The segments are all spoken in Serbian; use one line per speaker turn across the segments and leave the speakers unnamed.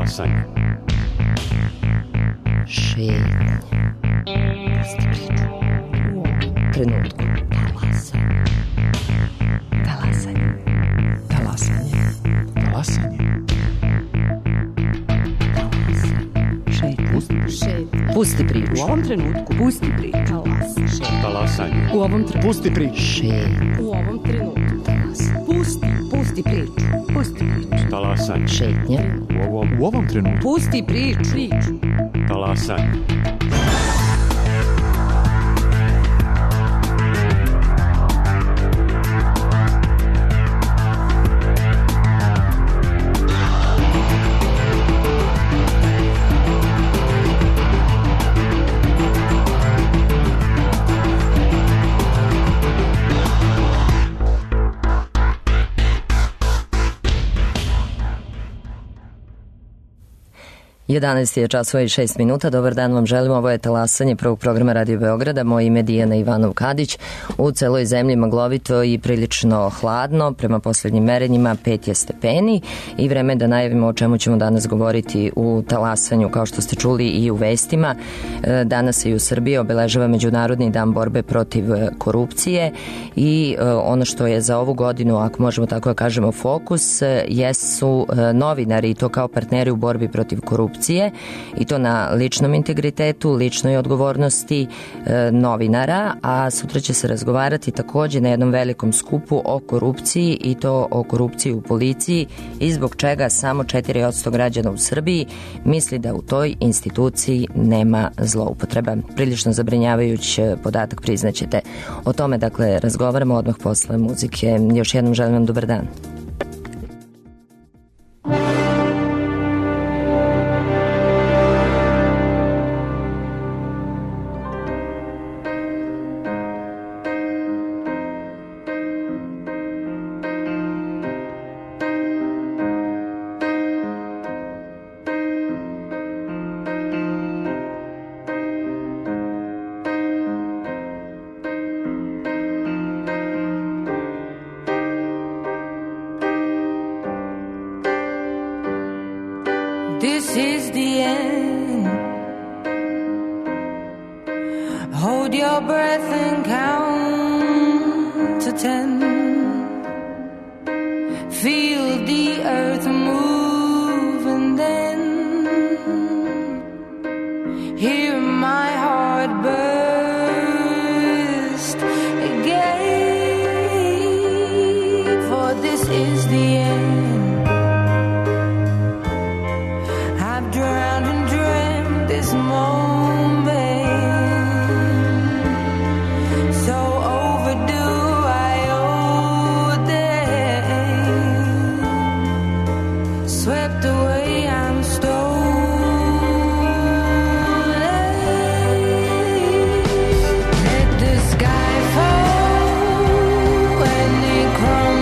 Talasanje.
Šetnje. U ovom trenutku. Talasanje. Talasanje. Talasanje.
Talasanje.
Pusti priču.
U ovom trenutku. Pusti priču.
Talasanje.
U ovom trenutku.
Pusti priču.
Šetnje.
U ovom trenutku. Pusti priču. Pusti priču.
Talasanje.
Šetnje.
U ovom trenutku.
Pusti priču.
Talasanje.
Jedanaest je časova i 6 minuta. Dobar dan vam želim. Ovo je Talasanje prvog programa Radio Beograda. Moje ime je Dijana Ivanov-Kadić. U celoj zemlji maglovito i prilično hladno. Prema poslednjim merenjima 5 je stepeni i vreme da najavimo o čemu ćemo danas govoriti u Talasanju. Kao što ste čuli i u vestima, danas se i u Srbiji obeležava Međunarodni dan borbe protiv korupcije i ono što je za ovu godinu, ako možemo tako da kažemo, fokus, jesu novinari i to kao partneri u borbi protiv korupcije i to na ličnom integritetu, ličnoj odgovornosti novinara, a sutra će se razgovarati takođe na jednom velikom skupu o korupciji i to o korupciji u policiji i zbog čega samo 4% građana u Srbiji misli da u toj instituciji nema zloupotreba. Prilično zabrinjavajući podatak, priznaćete. O tome, dakle, razgovaramo odmah posle muzike. Još jednom želim vam dobar dan.
This is the end. Hold your breath and count to 10. Feel the earth move and then hear my heart burst again. For this is the end. Drowned and dreamt this moment, so overdue I owe them. Swept away, I'm stolen. Let the sky fall when it crumbles.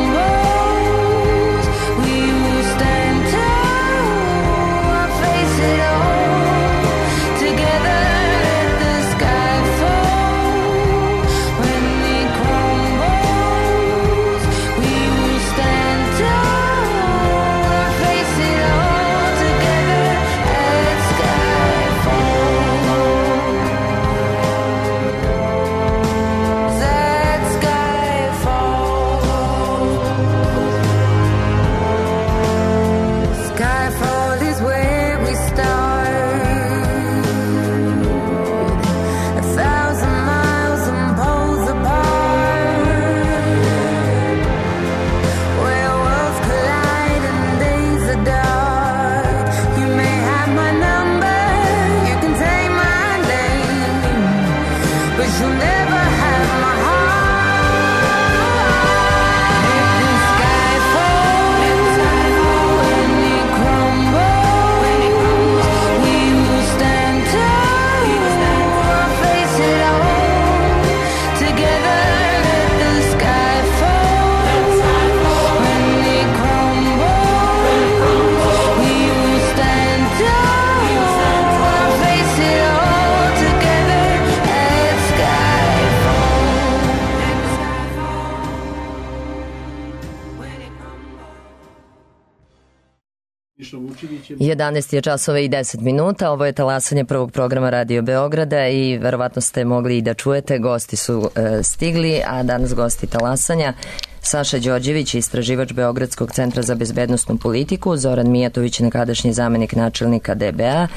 11 je časova i 10 minuta, ovo je talasanje prvog programa Radio Beograda i verovatno ste mogli i da čujete, gosti su stigli, a danas gosti talasanja Saša Đorđević, istraživač Beogradskog centra za bezbednosnu politiku, Zoran Mijatović, nekadašnji zamenik načelnika DBA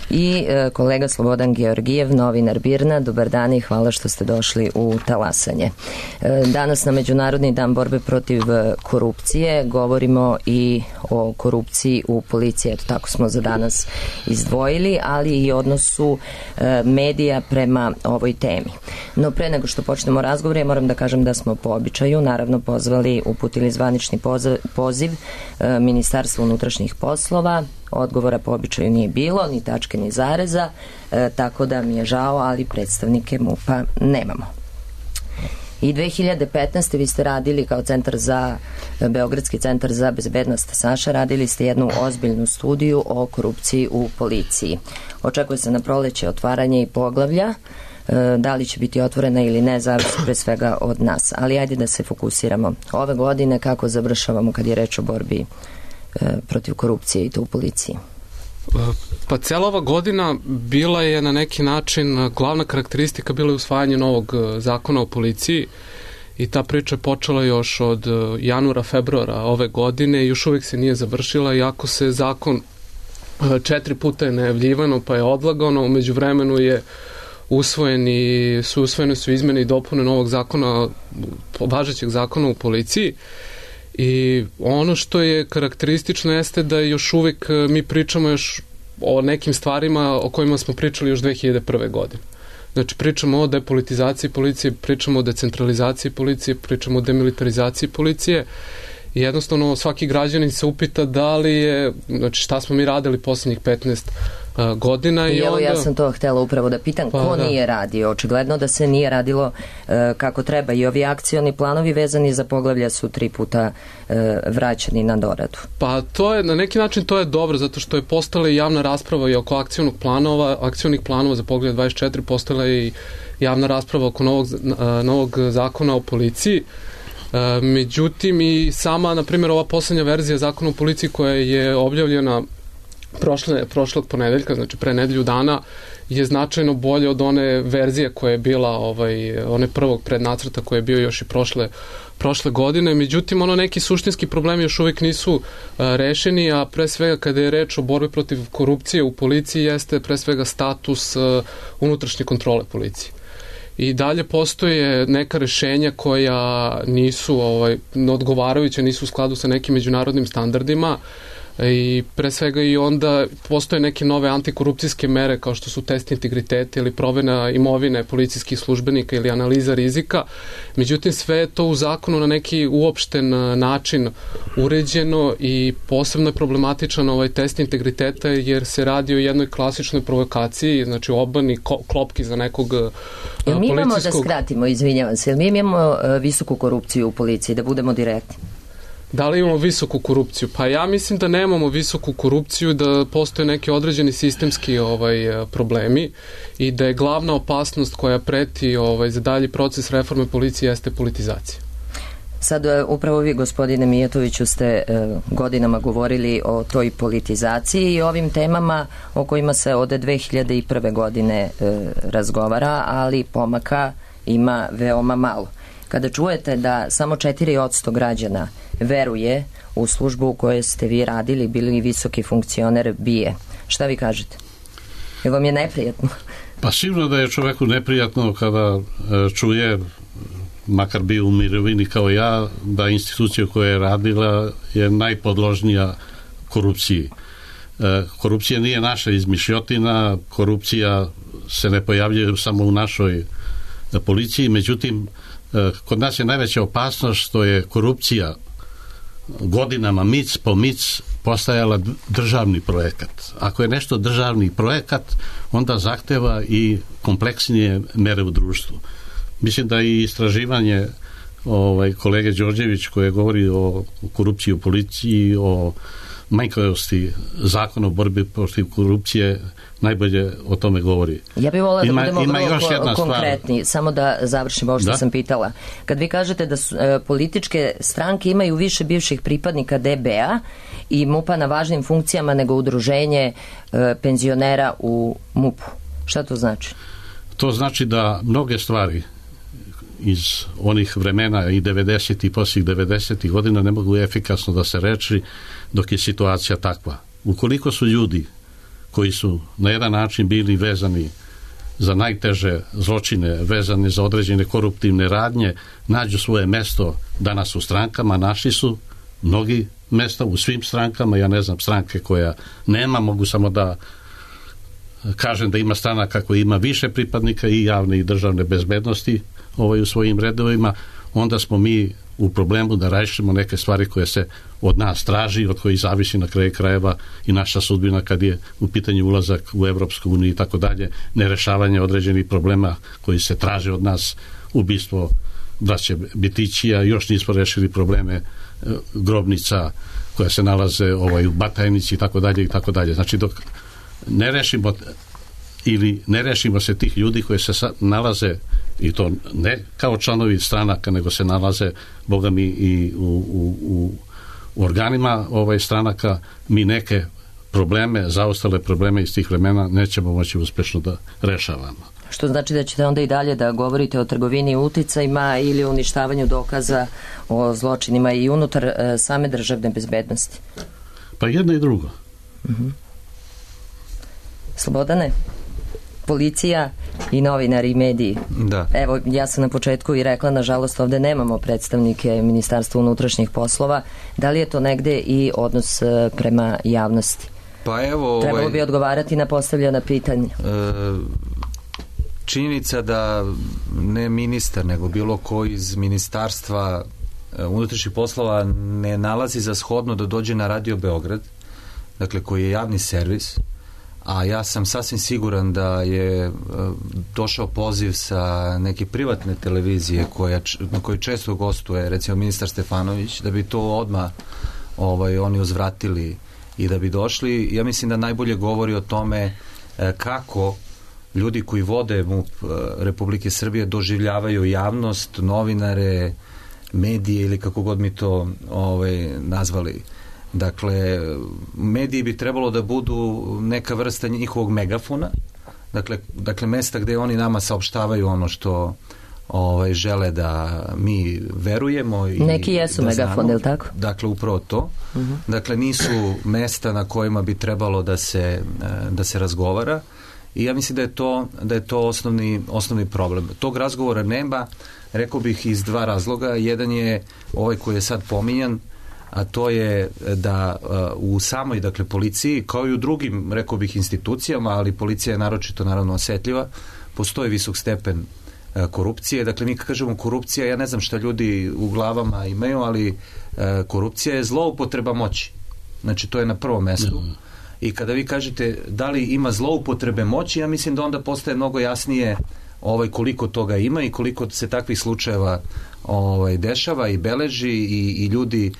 i kolega Slobodan Georgijev, novinar BIRN-a. Dobar dan i hvala što ste došli u talasanje. Danas na Međunarodni dan borbe protiv korupcije govorimo i o korupciji u policiji, eto tako smo za danas izdvojili, ali i odnosu medija prema ovoj temi. No pre nego što počnemo razgovor, ja moram da kažem da smo po običaju naravno uputili zvanični poziv Ministarstvu unutrašnjih poslova. Odgovora po običaju nije bilo, ni tačke ni zareza, tako da mi je žao, ali predstavnike MUP-a nemamo. I 2015. vi ste radili kao Beogradski centar za bezbednost, Saša, radili ste jednu ozbiljnu studiju o korupciji u policiji. Očekuje se na proleće otvaranje i poglavlja, da li će biti otvorena ili ne, zavisi pre svega od nas. Ali ajde da se fokusiramo. Ove godine kako završavamo kad je reč o borbi protiv korupcije i to u policiji?
Pa cijela ova godina bila je na neki način, glavna karakteristika bila je usvajanje novog zakona o policiji i ta priča je počela još od januara, februara ove godine i još uvijek se nije završila, iako se zakon 4 puta je najavljivano pa je odlagano, umeđu vremenu je usvojene su izmene i dopune novog zakona, važećeg zakona u policiji. I ono što je karakteristično jeste da još uvijek mi pričamo još o nekim stvarima o kojima smo pričali još 2001. godine. Znači pričamo o depolitizaciji policije, pričamo o decentralizaciji policije, pričamo o demilitarizaciji policije i jednostavno svaki građanin se upita da li je, znači šta smo mi radili posljednjih 15 godina.
I evo onda... ja sam to htjela upravo da pitam, ko nije radio? Očigledno da se nije radilo kako treba i ovi akcioni planovi vezani za poglavlja su 3 puta vraćani na doradu. Pa
to je, na neki način to je dobro, zato što je postala i javna rasprava i oko akcionih planova za poglavlje 24, postala je i javna rasprava oko novog zakona o policiji. Međutim i sama, na primjer, ova posljednja verzija zakona o policiji koja je objavljena prošlog ponedeljka, znači pre nedelju dana, je značajno bolje od one verzije koja je bila one prvog prednacrta koji je bio još i prošle godine. Međutim, neki suštinski problemi još uvijek nisu rešeni, a pre svega kada je reč o borbi protiv korupcije u policiji jeste pre svega status unutrašnje kontrole policije. I dalje postoje neka rešenja koja nisu odgovarajuća, nisu u skladu sa nekim međunarodnim standardima i pre svega i onda postoje neke nove antikorupcijske mere kao što su test integriteta ili provena imovine policijskih službenika ili analiza rizika. Međutim, sve je to u zakonu na neki uopšten način uređeno i posebno je problematičan ovaj test integriteta jer se radi o jednoj klasičnoj provokaciji, znači obani klopki za nekog policijskog...
Mi imamo, da skratimo, izvinjavam se, mi imamo visoku korupciju u policiji, da budemo direktni?
Da li imamo visoku korupciju? Pa ja mislim da nemamo visoku korupciju, da postoje neki određeni sistemski problemi i da je glavna opasnost koja preti za dalji proces reforme policije jeste politizacija.
Sad upravo vi, gospodine Mijatoviću, ste godinama govorili o toj politizaciji i ovim temama o kojima se od 2001. godine razgovara, ali pomaka ima veoma malo. Kada čujete da samo 4% građana veruje u službu u kojoj ste vi radili, bili visoki funkcioner BIA, šta vi kažete? Je vam je neprijatno?
Pa sigurno da je čoveku neprijatno kada čuje, makar bio u mirovini kao ja, da institucija koja je radila je najpodložnija korupciji. Korupcija nije naša izmišljotina, korupcija se ne pojavljuje samo u našoj policiji, međutim kod nas je najveća opasnost što je korupcija godinama mic po mic postajala državni projekat. Ako je nešto državni projekat, onda zahteva i kompleksnije mere u društvu. Mislim da i istraživanje kolege Đorđević koje govori o korupciji u policiji, o manjkavosti zakona o borbi protiv korupcije najbolje o tome govori.
Ja bih volila da budemo vrlo konkretni,
stvar.
Samo da završim ovo što sam pitala. Kad vi kažete da su, političke stranke imaju više bivših pripadnika DB-a i MUP-a na važnim funkcijama nego udruženje penzionera u MUP-u, šta to znači?
To znači da mnoge stvari iz onih vremena i 90. i poslije 90. godina ne mogu efikasno da se reči dok je situacija takva. Ukoliko su ljudi koji su na jedan način bili vezani za najteže zločine, vezani za određene koruptivne radnje, nađu svoje mesto danas u strankama, našli su mnogi mesta u svim strankama, ja ne znam stranke koja nema, mogu samo da kažem da ima stranaka koja ima više pripadnika i javne i državne bezbednosti u svojim redovima, onda smo mi u problemu da rešimo neke stvari koje se od nas traži, od kojih zavisi na kraju krajeva i naša sudbina kad je u pitanju ulazak u Evropsku uniju i tako dalje, nerešavanje određenih problema koji se traže od nas, ubistvo braće Bitićija, još nismo rešili probleme grobnica koja se nalaze u Batajnici i tako dalje i tako dalje. Znači dok ne rešimo ili ne rešimo se tih ljudi koji se nalaze, i to ne kao članovi stranaka, nego se nalaze, boga mi, i u organima stranaka, mi neke probleme, zaostale probleme iz tih vremena nećemo moći uspešno da rešavamo.
Što znači da ćete onda i dalje da govorite o trgovini uticajima ili uništavanju dokaza o zločinima i unutar same državne bezbednosti?
Pa jedno i drugo.
Slobodane? Policija i novinari i mediji.
Da.
Evo, ja sam na početku i rekla, nažalost, ovde nemamo predstavnike Ministarstva unutrašnjih poslova. Da li je to negde i odnos prema javnosti?
Pa evo...
Trebalo bi odgovarati na postavljena pitanja.
Činjenica da ne ministar, nego bilo ko iz Ministarstva unutrašnjih poslova ne nalazi za shodno da dođe na Radio Beograd, dakle koji je javni servis, a ja sam sasvim siguran da je došao poziv sa neke privatne televizije na kojoj često gostuje, recimo ministar Stefanović, da bi to odmah oni uzvratili i da bi došli. Ja mislim da najbolje govori o tome kako ljudi koji vode MUP Republike Srbije doživljavaju javnost, novinare, medije ili kako god mi to nazvali. Dakle, mediji bi trebalo da budu neka vrsta njihovog megafona, dakle mesta gde oni nama saopštavaju ono što žele da mi verujemo i
neki jesu
da
megafon, je li tako?
Dakle, upravo to. Dakle, nisu mesta na kojima bi trebalo da se razgovara i ja mislim da je to osnovni problem. Tog razgovora nema, rekao bih iz dva razloga. Jedan je ovaj koji je sad pominjan, a to je da u samoj, dakle, policiji, kao i u drugim, rekao bih, institucijama, ali policija je naročito, naravno, osetljiva, postoji visok stepen korupcije. Dakle, mi kad kažemo korupcija, ja ne znam šta ljudi u glavama imaju, ali korupcija je zloupotreba moći. Znači, to je na prvom mestu. I kada vi kažete da li ima zloupotrebe moći, ja mislim da onda postaje mnogo jasnije koliko toga ima i koliko se takvih slučajeva dešava i beleži i ljudi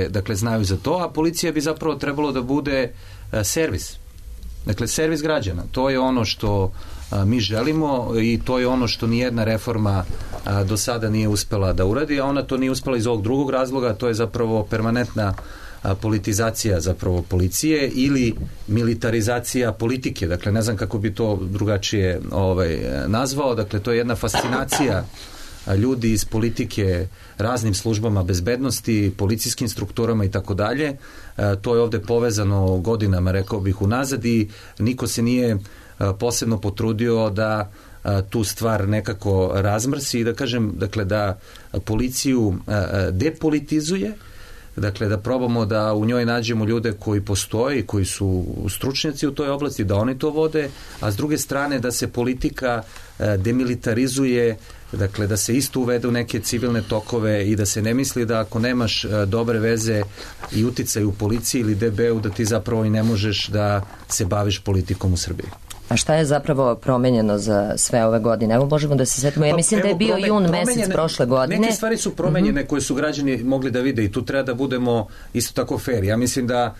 dakle znaju za to, a policija bi zapravo trebalo da bude servis. Dakle, servis građana. To je ono što mi želimo i to je ono što nijedna reforma do sada nije uspela da uradi, a ona to nije uspela iz ovog drugog razloga, to je zapravo permanentna politizacija zapravo policije ili militarizacija politike. Dakle, ne znam kako bi to drugačije nazvao. Dakle, to je jedna fascinacija ljudi iz politike raznim službama bezbednosti, policijskim strukturama i tako dalje. To je ovde povezano godinama, rekao bih, unazad i niko se nije posebno potrudio da tu stvar nekako razmrsi i da kažem, dakle, da policiju depolitizuje, dakle, da probamo da u njoj nađemo ljude koji postoje, koji su stručnjaci u toj oblasti, da oni to vode, a s druge strane da se politika demilitarizuje, dakle, da se isto uvede u neke civilne tokove i da se ne misli da ako nemaš dobre veze i uticaj u policiji ili DB-u, da ti zapravo i ne možeš da se baviš politikom u Srbiji.
A šta je zapravo promenjeno za sve ove godine? Evo možemo da se setimo. Ja mislim da je bio jun mesec prošle godine.
Neke stvari su promenjene koje su građani mogli da vide i tu treba da budemo isto tako fair. Ja mislim da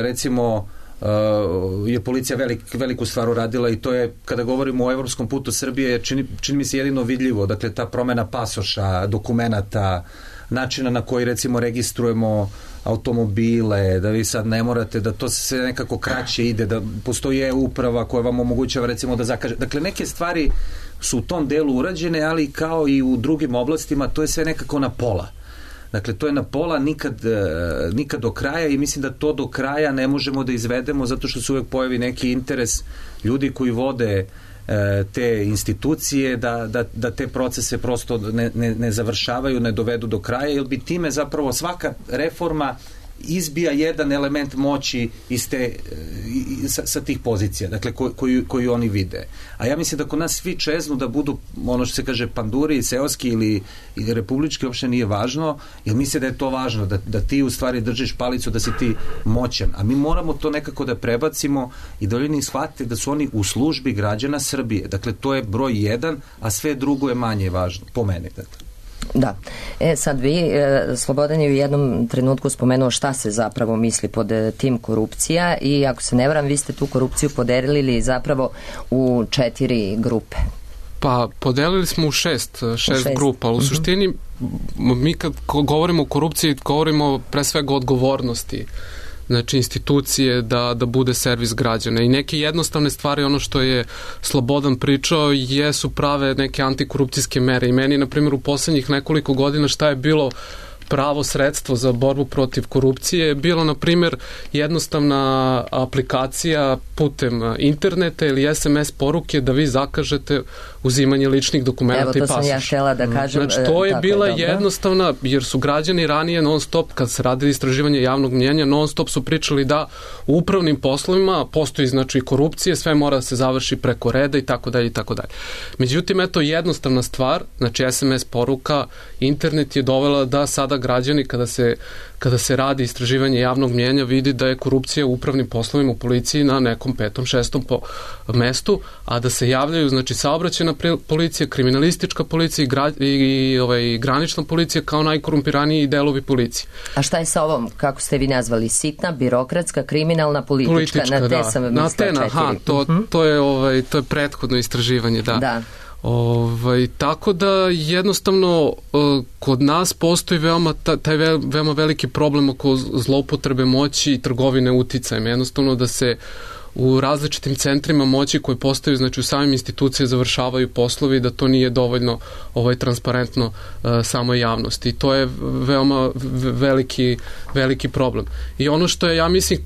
recimo je policija veliku stvar uradila i to je, kada govorimo o evropskom putu Srbije, čini mi se jedino vidljivo. Dakle, ta promena pasoša, dokumenata, načina na koji recimo registrujemo automobile, da vi sad ne morate, da to se nekako kraće ide, da postoji e-uprava koja vam omogućava recimo da zakaže. Dakle, neke stvari su u tom delu urađene, ali kao i u drugim oblastima, to je sve nekako na pola. Dakle, to je na pola, nikad do kraja i mislim da to do kraja ne možemo da izvedemo zato što se uvek pojavi neki interes ljudi koji vode te institucije da te procese prosto ne završavaju, ne dovedu do kraja, jer bi time zapravo svaka reforma izbija jedan element moći sa tih pozicija, dakle koju oni vide. A ja mislim da kod nas svi čeznu da budu, ono što se kaže, panduri, seoski ili republički, uopšte nije važno, jer misle da je to važno, da ti u stvari držiš palicu, da si ti moćan. A mi moramo to nekako da prebacimo i da ljudi shvate da su oni u službi građana Srbije. Dakle, to je broj 1, a sve drugo je manje važno, po meni. Dakle.
Da. Sad vi, Slobodan je u jednom trenutku spomenuo šta se zapravo misli pod tim korupcija i ako se ne varam, vi ste tu korupciju podelili zapravo u 4 grupe.
Pa podelili smo u šest grupa, ali u suštini mi kad govorimo o korupciji govorimo pre svega o odgovornosti, znači institucije da bude servis građana i neke jednostavne stvari, ono što je Slobodan pričao, jesu prave neke antikorupcijske mere i meni, na primjer, u poslednjih nekoliko godina šta je bilo pravo sredstvo za borbu protiv korupcije je bilo, na primjer, jednostavna aplikacija putem interneta ili SMS poruke da vi zakažete uzimanje ličnih dokumenta i pasoša.
Evo, to sam ja htjela da kažem.
Znači, to je bila jednostavna, jer su građani ranije non stop, kad se radili istraživanje javnog mnjenja, non stop su pričali da u upravnim poslovima postoji, znači, korupcije, sve mora da se završi preko reda i tako dalje i tako dalje. Međutim, eto, jednostavna stvar, znači SMS poruka, internet je dovela da sada građani kada se radi istraživanje javnog mnjenja vidi da je korupcija u upravnim poslovima u policiji na nekom 5., 6. mestu, a da se javljaju, znači, saobraćajna policija, kriminalistička policija i granična policija kao najkorumpiraniji delovi policije.
A šta je sa ovom, kako ste vi nazvali, sitna, birokratska, kriminalna, politička? Na te sam mislila 4.
To je prethodno istraživanje, da. Tako da jednostavno kod nas postoji taj veoma veliki problem oko zloupotrebe moći i trgovine uticajem. Jednostavno da se u različitim centrima moći koji postaju, znači u samim institucije završavaju poslovi, da to nije dovoljno transparentno samoj javnosti. I to je veoma veliki problem. I ono što je, ja mislim,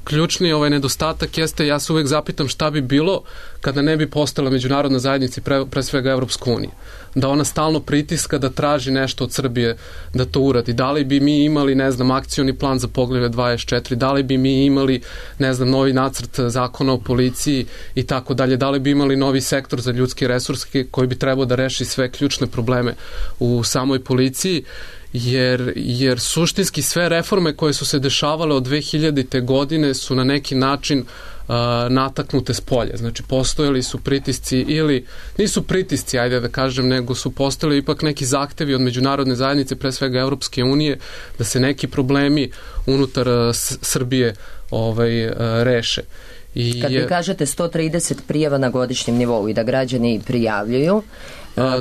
ključni nedostatak jeste, ja se uvek zapitam šta bi bilo kada ne bi postala međunarodna zajednica i pre svega Evropska unija. Da ona stalno pritiska da traži nešto od Srbije da to uradi. Da li bi mi imali, ne znam, akcioni plan za Poglavlje 24, da li bi mi imali, ne znam, novi nacrt zakona o policiji i tako dalje, da li bi imali novi sektor za ljudske resurske koji bi trebao da reši sve ključne probleme u samoj policiji, jer suštinski sve reforme koje su se dešavale od 2000. godine su na neki način nataknute s polja. Znači, postojali su pritisci ili nisu pritisci, ajde da kažem, nego su postojali ipak neki zahtevi od međunarodne zajednice, pre svega Evropske unije, da se neki problemi unutar Srbije reše.
Kad vi kažete 130 prijava na godišnjem nivou i da građani prijavljuju,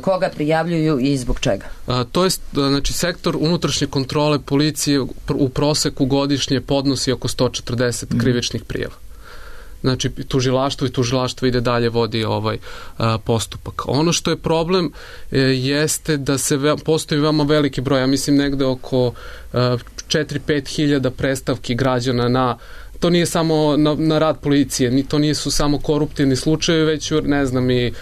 koga prijavljuju i zbog čega?
To je, znači, sektor unutrašnje kontrole policije u proseku godišnje podnosi oko 140 krivičnih prijava. Znači, tužilaštvo ide dalje, vodi postupak. Ono što je problem jeste da postoji veoma veliki broj, ja mislim negde oko 4-5 hiljada predstavki građana to nije samo na rad policije, to nisu samo koruptivni slučajevi, već, ne znam, i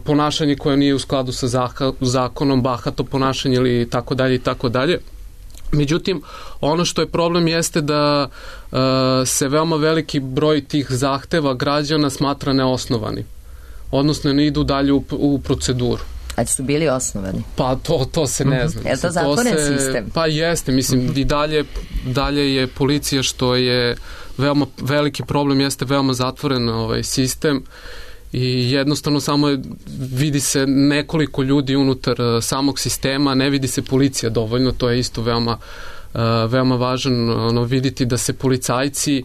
ponašanje koje nije u skladu sa zakonom, bahato ponašanje ili tako dalje i tako dalje. Međutim, ono što je problem jeste da se veoma veliki broj tih zahteva građana smatra neosnovani. Odnosno, ne idu dalje u proceduru.
A su bili osnovani?
Pa to se ne zna.
Je to zatvoren sistem?
Pa jeste, mislim, i dalje je policija, što je veoma veliki problem jeste veoma zatvoren sistem i jednostavno samo vidi se nekoliko ljudi unutar samog sistema, ne vidi se policija dovoljno, to je isto veoma važno vidjeti da se policajci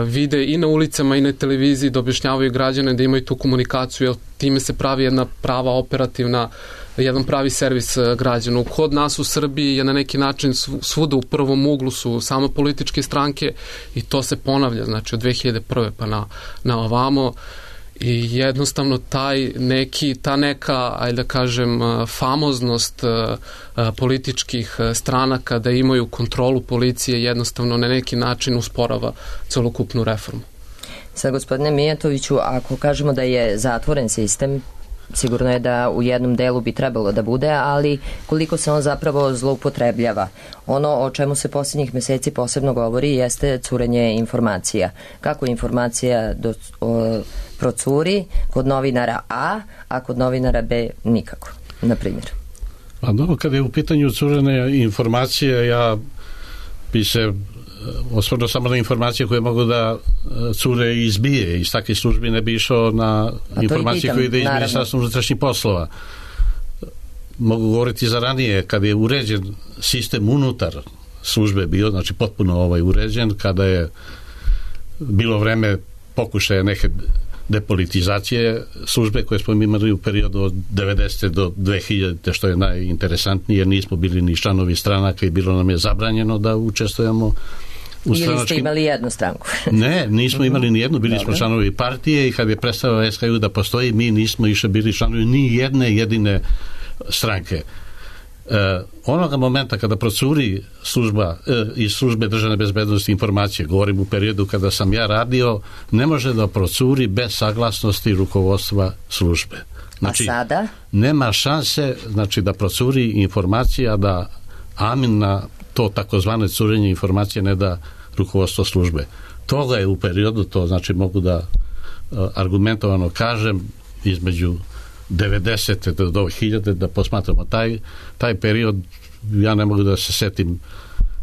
vide i na ulicama i na televiziji, da objašnjavaju građane da imaju tu komunikaciju, jer time se pravi jedna prava operativna, jedan pravi servis građana. Kod nas u Srbiji je na neki način svuda u prvom uglu su samo političke stranke i to se ponavlja, znači od 2001. pa na ovamo. I jednostavno ta neka, ajde da kažem, famoznost političkih stranaka da imaju kontrolu policije jednostavno na neki način usporava celokupnu reformu.
Sad, gospodine Mijatoviću, ako kažemo da je zatvoren sistem, sigurno je da u jednom delu bi trebalo da bude, ali koliko se on zapravo zloupotrebljava. Ono o čemu se posljednjih meseci posebno govori jeste curenje informacija. Kako informacija procuri kod novinara a kod novinara B nikako, na primjer.
Pa dobro, kada je u pitanju curenje informacije, ja bi se osvrnuo samo na informacije koje mogu da cure i izbije. Iz takvih službi ne bi išao na informacije koje ide iz Ministarstva unutrašnjih poslova. Mogu govoriti za ranije, kada je uređen sistem unutar službe bio, znači potpuno uređen, kada je bilo vreme pokušaja neke depolitizacije službe koje smo imali u periodu od 90. do 2000. što je najinteresantnije, jer nismo bili ni članovi stranaka i bilo nam je zabranjeno da učestvujemo u stranačkim...
Ili ste imali jednu stranku?
Ne, nismo imali ni jednu, bili smo članovi partije i kad je prestao SKU da postoji, mi nismo više bili članovi ni jedne jedine stranke. Onoga momenta kada procuri služba iz službe državne bezbednosti informacije, govorim u periodu kada sam ja radio, ne može da procuri bez saglasnosti rukovodstva službe. Znači,
a sada? Nema
šanse, znači, da procuri informacija, da amin na to takozvane curenje informacije ne da rukovodstvo službe. Toga je u periodu, to znači mogu da argumentovano kažem, između 90. do 2000. da posmatramo taj period, ja ne mogu da se setim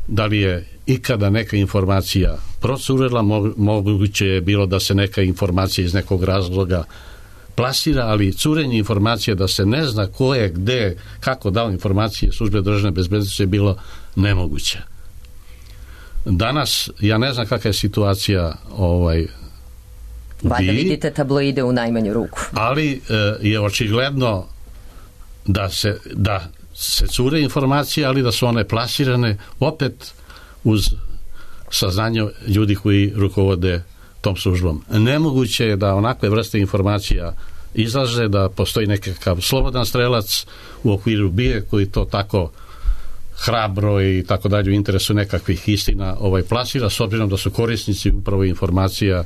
da li je ikada neka informacija procurela, moguće je bilo da se neka informacija iz nekog razloga plasira, ali curenje informacije da se ne zna ko je, gde, kako dao informacije službe državne bezbednosti je bilo nemoguće. Danas, ja ne znam kakva je situacija
Valjda vidite tabloide u najmanju ruku.
Ali je očigledno da se cure informacije, ali da su one plasirane opet uz saznanje ljudi koji rukovode tom službom. Nemoguće je da onakve vrste informacija izlaze, da postoji nekakav slobodan strelac u okviru BIA koji to tako hrabro i tako dalje u interesu nekakvih istina plasira, s obzirom da su korisnici upravo informacija,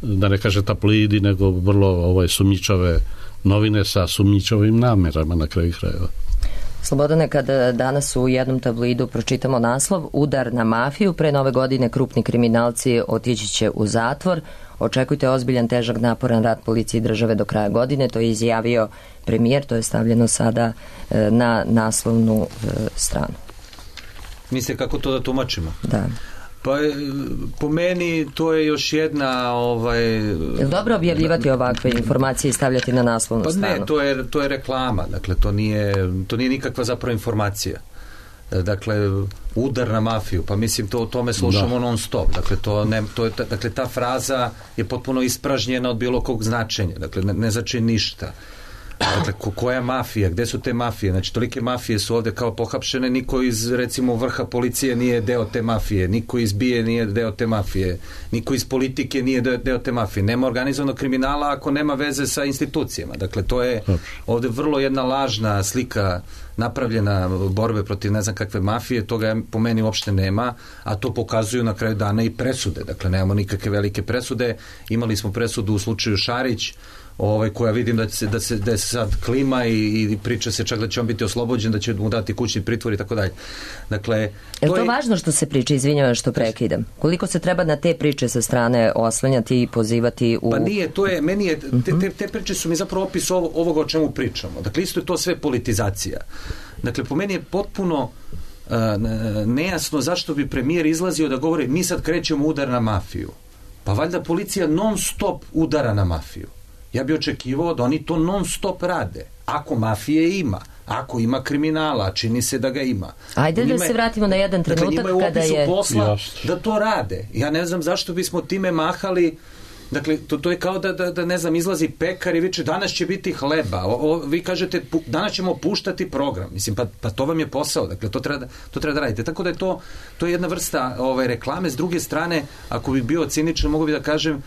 da ne kaže tabloidi, nego vrlo sumnjičave novine sa sumnjičavim namerama na kraju krajeva.
Slobodane, kada danas u jednom tabloidu pročitamo naslov Udar na mafiju, pre nove godine krupni kriminalci otići će u zatvor, očekujte ozbiljan, težak, naporan rad policije i države do kraja godine, to je izjavio premijer, to je stavljeno sada na naslovnu stranu.
Mislite kako to da tumačimo?
Da.
Pa po meni to je još jedna
Je li dobro objavljivati ovakve informacije i stavljati na naslovnu stranu?
Pa ne, to je reklama, dakle to nije nikakva zapravo informacija. Dakle, udar na mafiju, pa mislim to o tome slušamo non stop. Dakle, ta fraza je potpuno ispražnjena od bilo kog značenja. Dakle, ne znači ništa. Dakle, koja mafija, gde su te mafije? Znači, tolike mafije su ovde kao pohapšene, niko iz, recimo, vrha policije nije deo te mafije, niko iz BIA nije deo te mafije, niko iz politike nije deo te mafije. Nema organizovanog kriminala ako nema veze sa institucijama. Dakle, to je ovde vrlo jedna lažna slika napravljena borbe protiv ne znam kakve mafije, toga po meni uopšte nema, a to pokazuju na kraju dana i presude. Dakle, nemamo nikakve velike presude. Imali smo presudu u slučaju Šarić, koja vidim da se sad klima i priča se čak da će on biti oslobođen, da će mu dati kućni pritvor i tako dalje. Dakle,
je to važno što se priča, izvinjavam što prekidam? Koliko se treba na te priče sa strane oslanjati i pozivati u...
Pa nije, te priče su mi zapravo opis ovoga o čemu pričamo. Dakle, isto je to sve politizacija. Dakle, po meni je potpuno nejasno zašto bi premijer izlazio da govori mi sad krećemo udar na mafiju. Pa valjda policija non stop udara na mafiju. Ja bih očekivao da oni to non stop rade. Ako mafije ima, ako ima kriminala, čini se da ga ima.
Ajde da se vratimo na jedan trenutak kada je...
posla da to rade. Ja ne znam zašto bismo time mahali. Dakle, to je kao da ne znam, izlazi pekar i viče danas će biti hleba. Vi kažete danas ćemo puštati program. Mislim, pa to vam je posao. Dakle, to treba da radite. Tako da je to je jedna vrsta reklame. S druge strane, ako bi bio ciničan, mogu bi da kažem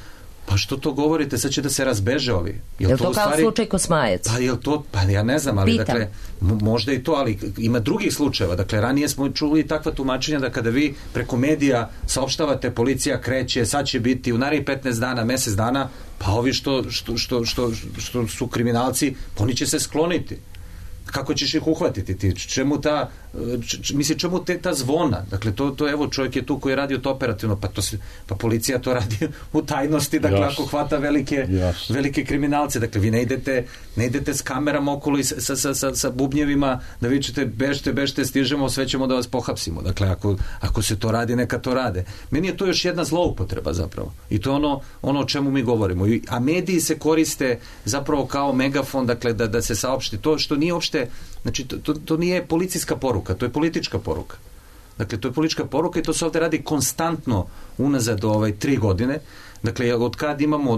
pa što to govorite, sad će da se razbeže ovi.
Je to kao slučaj Kosmajac?
Pa je to, pa ja ne znam, ali dakle, možda i to, ali ima drugih slučajeva. Dakle, ranije smo čuli takva tumačenja da kada vi preko medija saopštavate policija kreće, sad će biti u narednih 15 dana, mesec dana, pa ovi što su kriminalci, oni će se skloniti. Kako ćeš ih uhvatiti ti? Čemu ta zvona? Dakle, to evo, čovjek je tu koji je radio to operativno, pa policija to radi u tajnosti, dakle, ako hvata velike kriminalce. Dakle, vi ne idete s kamerama okolo i sa bubnjevima da vi ćete bežte, stižemo, sve ćemo da vas pohapsimo. Dakle, ako se to radi, neka to rade. Meni je to još jedna zloupotreba zapravo. I to je ono o čemu mi govorimo. A mediji se koriste zapravo kao megafon, dakle, da se saopšti to što nije uopšte. Znači, to nije policijska poruka, to je politička poruka. Dakle, to je politička poruka i to se ovdje radi konstantno unazad 3 godine. Dakle, od kad imamo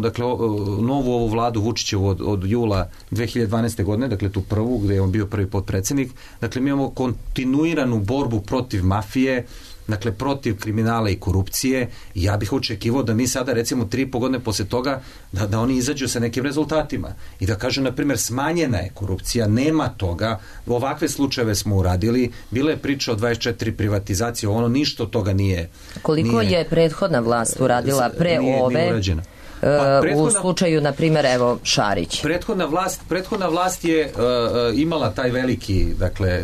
novu ovu vladu Vučićevu od jula 2012. godine, dakle tu prvu, gdje je on bio prvi potpredsjednik, dakle mi imamo kontinuiranu borbu protiv mafije, dakle protiv kriminala i korupcije. Ja bih očekivao da mi sada recimo 3,5 godine posle toga da oni izađu sa nekim rezultatima i da kažu, na primjer, smanjena je korupcija, nema toga, ovakve slučajeve smo uradili, bila je priča o 24 privatizacije, ništa od toga nije.
Koliko je prethodna vlast uradila pre ove?
Nije urađena.
U slučaju, na primjer, evo, Šarić.
Prethodna vlast je imala taj veliki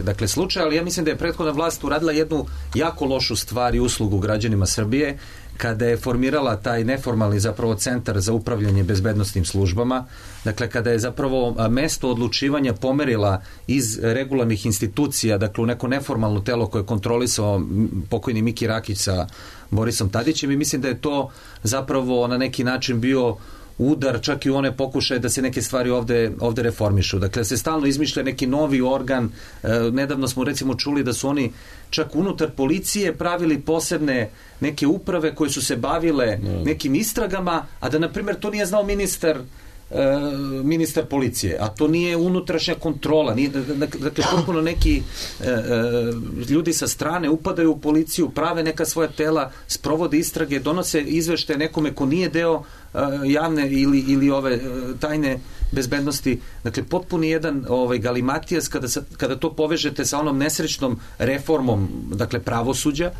dakle slučaj, ali ja mislim da je prethodna vlast uradila jednu jako lošu stvar i uslugu građanima Srbije kada je formirala taj neformalni zapravo centar za upravljanje bezbednosnim službama, dakle kada je zapravo mesto odlučivanja pomerila iz regularnih institucija, dakle u neko neformalno telo koje je kontrolisao pokojni Miki Rakić sa Borisom Tadićem, i mislim da je to zapravo na neki način bio udar čak i u one pokušaje da se neke stvari ovde reformišu. Dakle, se stalno izmišlja neki novi organ. Nedavno smo recimo čuli da su oni čak unutar policije pravili posebne neke uprave koje su se bavile nekim istragama, a da, na primjer, to nije znao ministar policije, a to nije unutrašnja kontrola. Dakle, potpuno neki ljudi sa strane upadaju u policiju, prave neka svoja tela, sprovode istrage, donose izveštaje nekome ko nije deo javne ili ove tajne bezbednosti. Dakle, potpuno jedan galimatijas kada to povežete sa onom nesrećnom reformom, dakle, pravosuđa,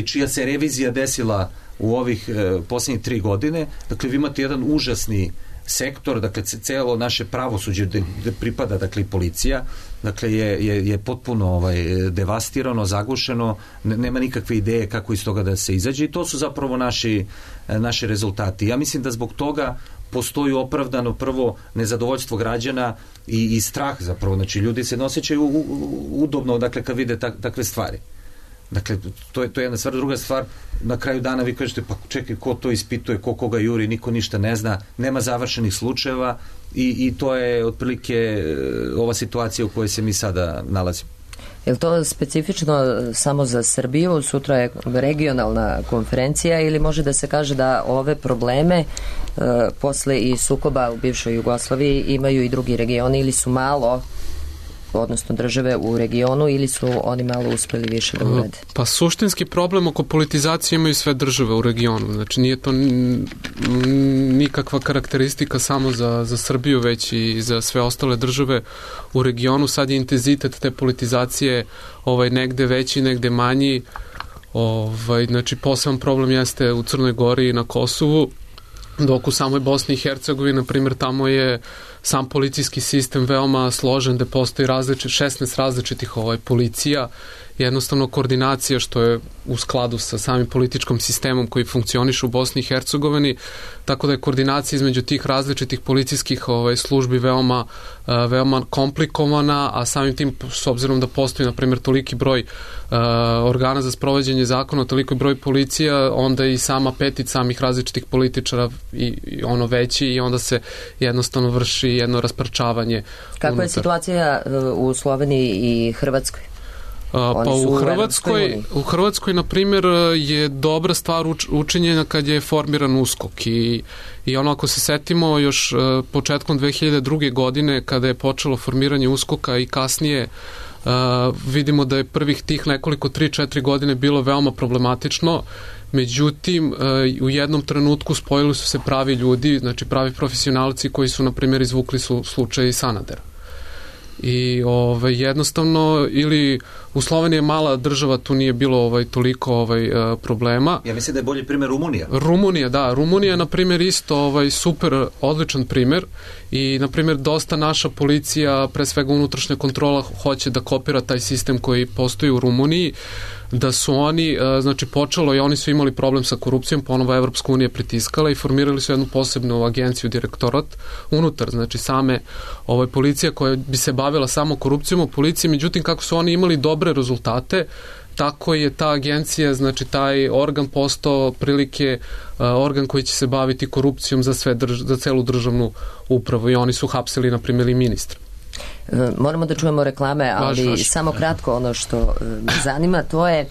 čija se revizija desila u ovih posljednjih 3 godine. Dakle, vi imate jedan užasni sektor, dakle, celo naše pravosuđe gde pripada, dakle, i policija, dakle, je potpuno devastirano, zagušeno, nema nikakve ideje kako iz toga da se izađe, i to su zapravo naši rezultati. Ja mislim da zbog toga postoji opravdano prvo nezadovoljstvo građana i strah zapravo, znači ljudi se ne osjećaju udobno, dakle, kad vide takve stvari. Dakle, to je jedna stvar. Druga stvar, na kraju dana vi kažete, pa čekaj, ko to ispituje, ko koga juri, niko ništa ne zna, nema završenih slučajeva i to je otprilike ova situacija u kojoj se mi sada nalazimo.
Je li to specifično samo za Srbiju? Sutra je regionalna konferencija, ili može da se kaže da ove probleme posle i sukoba u bivšoj Jugoslaviji imaju i drugi regioni, ili su malo, odnosno države u regionu, ili su oni malo uspeli više da urede?
Pa suštinski problem oko politizacije imaju sve države u regionu. Znači nije to nikakva karakteristika samo za Srbiju, već i za sve ostale države u regionu. Sad je intenzitet te politizacije negde veći, negde manji. Znači poseban problem jeste u Crnoj Gori i na Kosovu, dok u samoj Bosni i Hercegovini, na primjer, tamo je sam policijski sistem veoma složen, da postoji 16 različitih policija, jednostavno koordinacija što je u skladu sa samim političkom sistemom koji funkcioniše u Bosni i Hercegovini, tako da je koordinacija između tih različitih policijskih službi veoma komplikovana, a samim tim, s obzirom da postoji, na primjer, toliki broj organa za sprovođenje zakona, toliko broj policija, onda i sama petica samih različitih političara i ono veći i onda se jednostavno vrši jedno rasparčavanje.
Kakva je situacija u Sloveniji i Hrvatskoj?
Pa u Hrvatskoj, na primjer, je dobra stvar učinjena kad je formiran USKOK i ono, ako se setimo još početkom 2002. godine kada je počelo formiranje USKOK-a i kasnije vidimo da je prvih tih nekoliko 3-4 godine bilo veoma problematično, međutim u jednom trenutku spojili su se pravi ljudi, znači pravi profesionalci koji su, na primjer, izvukli slučaj Sanadera. I jednostavno, ili u Sloveniji je mala država, tu nije bilo toliko problema.
Ja mislim da je bolji primjer Rumunija.
Rumunija, na primjer, isto super, odličan primjer i, na primjer, dosta naša policija, pre svega unutrašnja kontrola, hoće da kopira taj sistem koji postoji u Rumuniji, da su oni, znači počelo i oni su imali problem sa korupcijom, ponovo Evropska unija pritiskala i formirali su jednu posebnu agenciju, direktorat, unutar, znači same policija koja bi se bavila samo korupcijom u policiji, međutim kako su oni imali dobre rezultate, tako je ta agencija, znači taj organ postao prilike organ koji će se baviti korupcijom za celu državnu upravu i oni su hapsili, na primjer, i ministra.
Moramo da čujemo reklame, ali samo kratko ono što me zanima, to je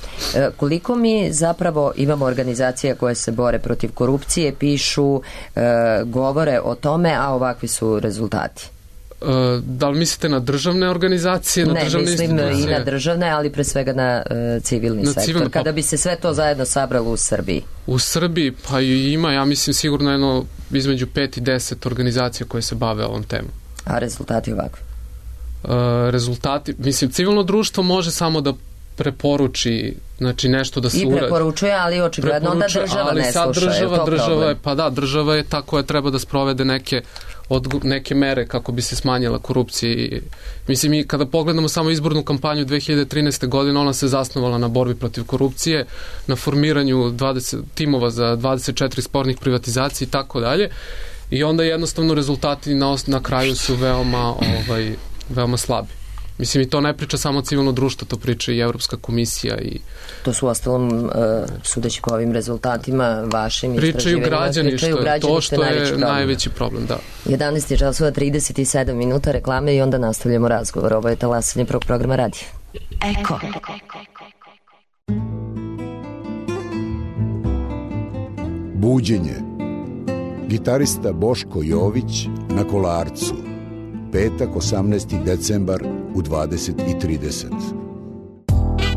koliko mi zapravo imamo organizacija koje se bore protiv korupcije, pišu, govore o tome, a ovakvi su rezultati.
Da li mislite na državne organizacije?
Ne, mislim i na državne, ali pre svega na civilni sektor. Kada bi se sve to zajedno sabralo u Srbiji?
U Srbiji, pa ima, ja mislim, sigurno jedno između 5 i 10 organizacija koje se bave ovom temom.
A rezultati ovakvi?
Rezultati, mislim, civilno društvo može samo da preporuči, znači nešto da se uradi.
I preporučuje, ali očigledno onda država ne sluša.
Država je ta koja treba da sprovede neke mere kako bi se smanjila korupcija. Mislim, mi kada pogledamo samo izbornu kampanju 2013. godine, ona se zasnovala na borbi protiv korupcije, na formiranju 20 timova za 24 spornih privatizacija i tako dalje. I onda jednostavno rezultati na kraju su veoma slabi. Mislim, i to ne priča samo civilno društvo, to priča i Evropska komisija.
To su ostalom, sudeći po ovim rezultatima, vašim istraživanjima,
pričaju građani, to što je najveći problem, da.
11 časova 37 minuta reklame i onda nastavljamo razgovor. Ovo je talasanje prvog programa radija.
Eko.
Buđenje. Gitarista Boško Jović na Kolarcu. Petak, 18. decembar u 20:30.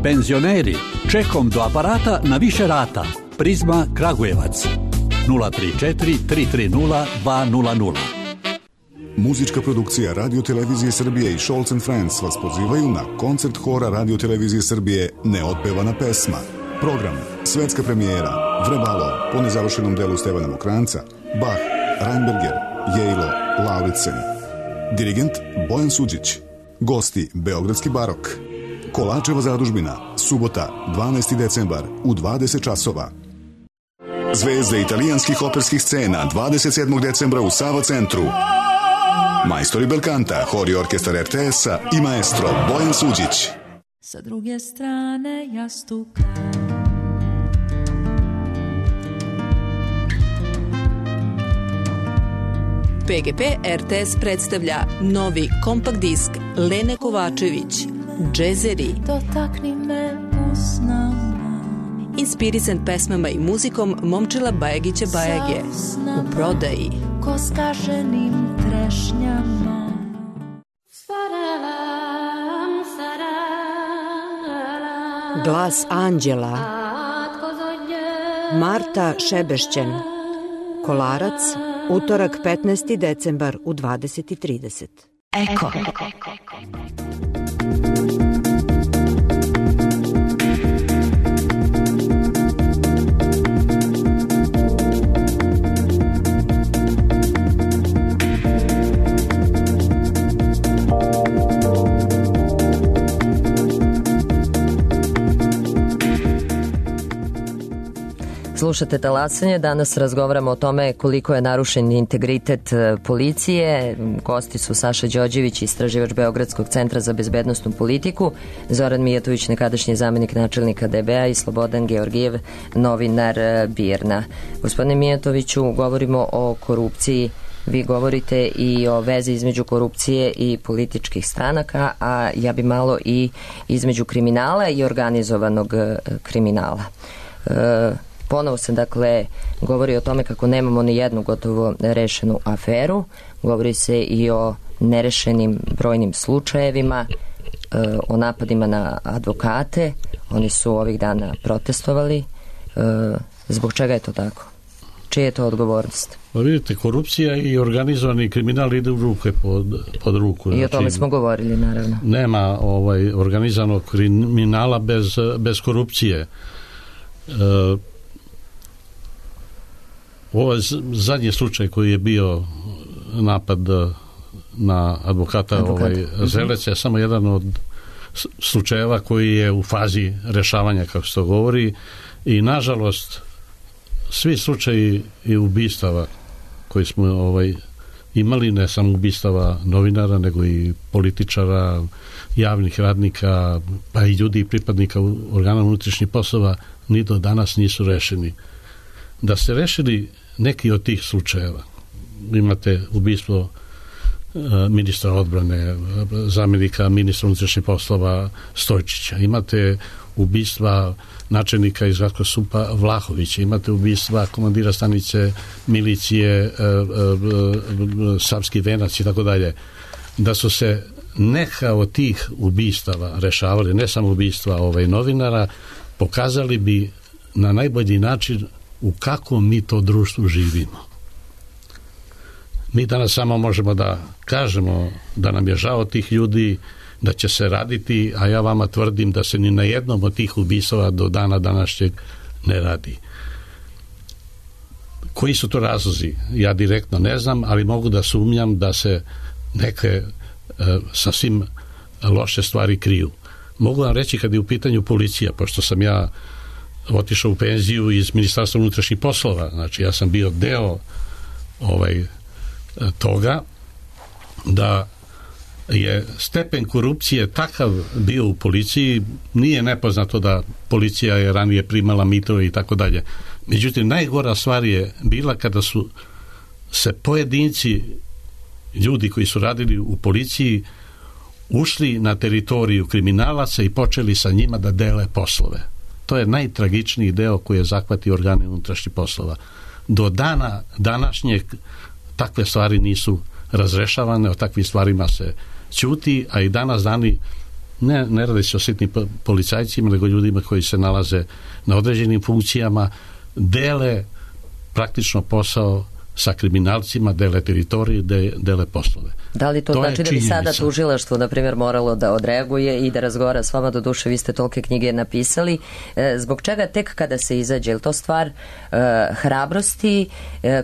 Penzioneri, čekom do aparata na više rata. Prizma Kragujevac. 034 330 200.
Muzička produkcija Radio-televizije Srbije i Scholz & Friends vas pozivaju na koncert hora Radio-televizije Srbije Neotpevana pesma. Program, svetska premijera, Vrebalo, po nezavršenom delu Stevana Mokranca, Bach, Reinberger, Jejlo, Lauritsen. Dirigent Bojan Suđić. Gosti Beogradski barok. Kolačeva zadužbina, subota, 12. decembar u 20 časova. Zvezde italijanskih operskih scena 27. decembra u Sava centru. Majstori Belkanta, hor i orkestar RTS-a i maestro Bojan Suđić.
Sa druge strane jastuka.
PGP RTS predstavlja novi kompakt disk Lene Kovačević, Džezeri.
Dotakni me usnama.
Inspirisan pesmama i muzikom Momčila Bajagića Bajage. U prodaji.
Ko skaženim trešnjama.
Glas anđela. Marta Šebešćen. Kolarac. Utorak 15. decembar u 20:30.
Eko.
Slušate Talasanje, danas razgovaramo o tome koliko je narušen integritet policije. Gosti su Saša Đorđević, istraživač Beogradskog centra za bezbednosnu politiku, Zoran Mijatović, nekadašnji zamenik načelnika DB-a i Slobodan Georgijev, novinar BIRN-a. Gospodine Mijatoviću, govorimo o korupciji. Vi govorite i o vezi između korupcije i političkih stranaka, a ja bi malo i između kriminala i organizovanog kriminala. Ponovo se dakle govori o tome kako nemamo ni jednu gotovo rešenu aferu, govori se i o nerešenim brojnim slučajevima, o napadima na advokate, oni su ovih dana protestovali. Zbog čega je to tako? Čija je to odgovornost?
Pa vidite, korupcija i organizovani kriminal ide u ruke pod ruku.
I o tome smo govorili, naravno.
Nema organizovanog kriminala bez korupcije. Ovo je zadnji slučaj koji je bio napad na advokata Zelec je samo jedan od slučajeva koji je u fazi rešavanja, kako se to govori, i nažalost svi slučaji i ubistava koji smo imali, ne samo ubistava novinara, nego i političara, javnih radnika, pa i ljudi i pripadnika organa unutrašnjih poslova, ni do danas nisu rešeni. Da ste rešili neki od tih slučajeva, imate ubistvo ministra odbrane, zamenika ministra unutrašnjih poslova Stojčića, imate ubistva načelnika iz Gradskog SUP-a Vlahovića, imate ubistva komandira stanice milicije Savski Venac i tako dalje. Da su se neka od tih ubistava rešavali, ne samo ubistva novinara, pokazali bi na najbolji način u kakvom mi to društvu živimo. Mi danas samo možemo da kažemo da nam je žao tih ljudi, da će se raditi, a ja vama tvrdim da se ni na jednom od tih ubistava do dana današnjeg ne radi. Koji su to razlozi? Ja direktno ne znam, ali mogu da sumnjam da se neke sasvim loše stvari kriju. Mogu vam reći kad je u pitanju policija, pošto sam ja otišao u penziju iz Ministarstva unutrašnjih poslova, znači ja sam bio deo toga, da je stepen korupcije takav bio u policiji, nije nepoznato da policija je ranije primala mitove i tako dalje. Međutim, najgora stvar je bila kada su se pojedinci ljudi koji su radili u policiji ušli na teritoriju kriminalaca i počeli sa njima da dele poslove. To je najtragičniji deo koji je zahvatio organe unutrašnjih poslova. Do dana današnjeg takve stvari nisu razrešavane, o takvim stvarima se ćuti, a i danas dani ne radi se o sitnim policajcima, nego ljudima koji se nalaze na određenim funkcijama, dele praktično posao sa kriminalcima, dele teritorije, dele poslove.
Da li to znači da bi sada tužilaštvo, na primjer, moralo da odreaguje i da razgovara s vama? Do duše, vi ste tolike knjige napisali. Zbog čega tek kada se izađe? Je li to stvar hrabrosti,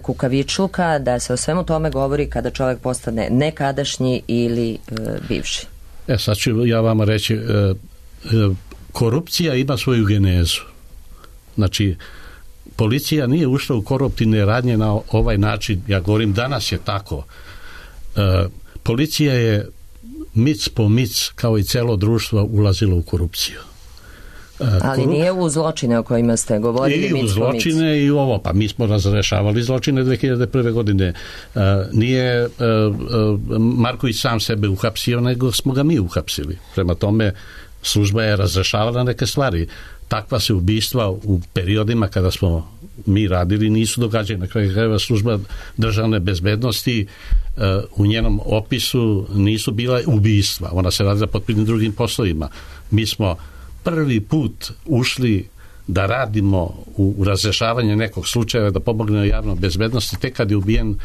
kukavičluka, da se o svemu tome govori kada čovjek postane nekadašnji ili bivši?
Sad ću ja vama reći, korupcija ima svoju genezu. Znači, policija nije ušla u koruptivne radnje na ovaj način, ja govorim danas je tako. Policija je mic po mic, kao i celo društvo, ulazilo u korupciju.
Ali nije u zločine o kojima ste govorili.
I u zločine i u ovo, pa mi smo razrešavali zločine 2001. godine. Nije Marković sam sebe uhapsio, nego smo ga mi uhapsili. Prema tome, služba je razrešavala neke stvari. Takva se ubistva u periodima kada smo mi radili nisu događali. Na kraju krajeva služba državne bezbednosti u njenom opisu nisu bila ubistva. Ona se radila pod drugim poslovima. Mi smo prvi put ušli da radimo u razrešavanje nekog slučaja, da pomognemo javnoj bezbednosti tek kad je ubijen